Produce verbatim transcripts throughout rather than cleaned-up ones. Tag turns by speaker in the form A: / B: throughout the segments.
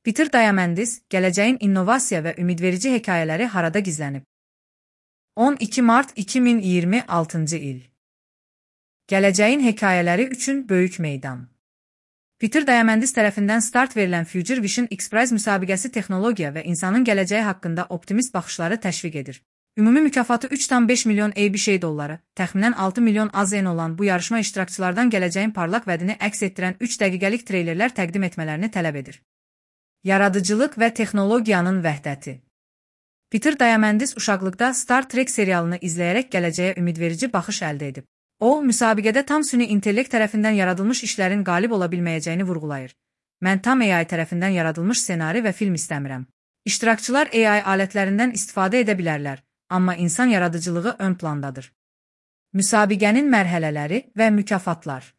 A: Peter Diamandis, gələcəyin innovasiya və ümidverici hekayələri harada gizlənib? on iki mart iki min iyirmi altıncı il. Gələcəyin hekayələri üçün böyük meydan. Peter Diamandis tərəfindən start verilən Future Vision X-Prize müsabiqəsi texnologiya və insanın gələcəyi haqqında optimist baxışları təşviq edir. Ümumi mükafatı üç tam beş milyon ABC dolları, təxminən altı milyon A Z N olan bu yarışma iştirakçılardan gələcəyin parlaq vədini əks etdirən üç dəqiqəlik treylerlər təqdim etmələrini tələb edir. Yaradıcılıq və texnologiyanın vəhdəti. Peter Diamandis uşaqlıqda Star Trek serialını izləyərək gələcəyə ümidverici baxış əldə edib. O, müsabiqədə tam süni intellekt tərəfindən yaradılmış işlərin qalib ola bilməyəcəyini vurğulayır. Mən tam A I tərəfindən yaradılmış ssenari və film istəmirəm. İştirakçılar A I alətlərindən istifadə edə bilərlər, amma insan yaradıcılığı ön plandadır. Müsabiqənin mərhələləri və mükafatlar.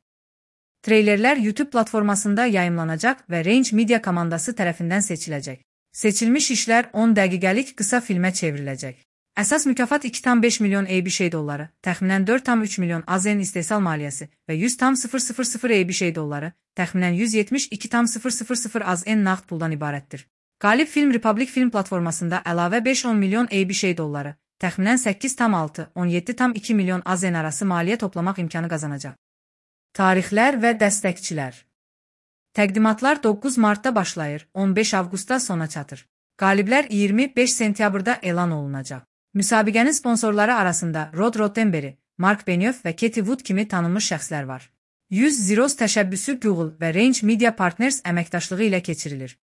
A: Treylerlər YouTube platformasında yayımlanacaq və Range Media komandası tərəfindən seçiləcək. Seçilmiş işlər on dəqiqəlik qısa filmə çevriləcək. Əsas mükafat iki tam beş milyon ABC dolları, təxminən dörd tam üç milyon A Z N istehsal maliyyəsi və yüz tam sıfır sıfır sıfır ABC dolları, təxminən yüz yetmiş iki tam sıfır sıfır sıfır A Z N nağd puldan ibarətdir. Qalib film Republic Film platformasında əlavə beş on milyon ABC dolları, təxminən səkkiz tam altı on yeddi tam iki milyon A Z N arası maliyyə toplamaq imkanı qazanacaq. Tarixlər və dəstəkçilər. Təqdimatlar doqquz martda başlayır, on beş avqustda sona çatır. Qaliblər iyirmi beş sentyabrda elan olunacaq. Müsabiqənin sponsorları arasında Rod Roddenberry, Mark Benioff və Katie Wood kimi tanınmış şəxslər var. yüz Zeros təşəbbüsü Google və Range Media Partners əməkdaşlığı ilə keçirilir.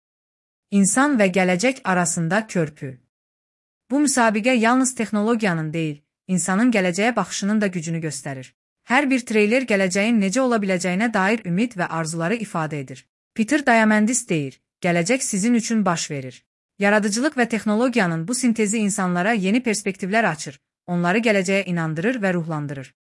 A: İnsan və gələcək arasında körpü. Bu müsabiqə yalnız texnologiyanın deyil, insanın gələcəyə baxışının da gücünü göstərir. Hər bir treyler gələcəyin necə ola biləcəyinə dair ümid və arzuları ifadə edir. Peter Diamandis deyir, gələcək sizin üçün baş verir. Yaradıcılıq və texnologiyanın bu sintezi insanlara yeni perspektivlər açır, onları gələcəyə inandırır və ruhlandırır.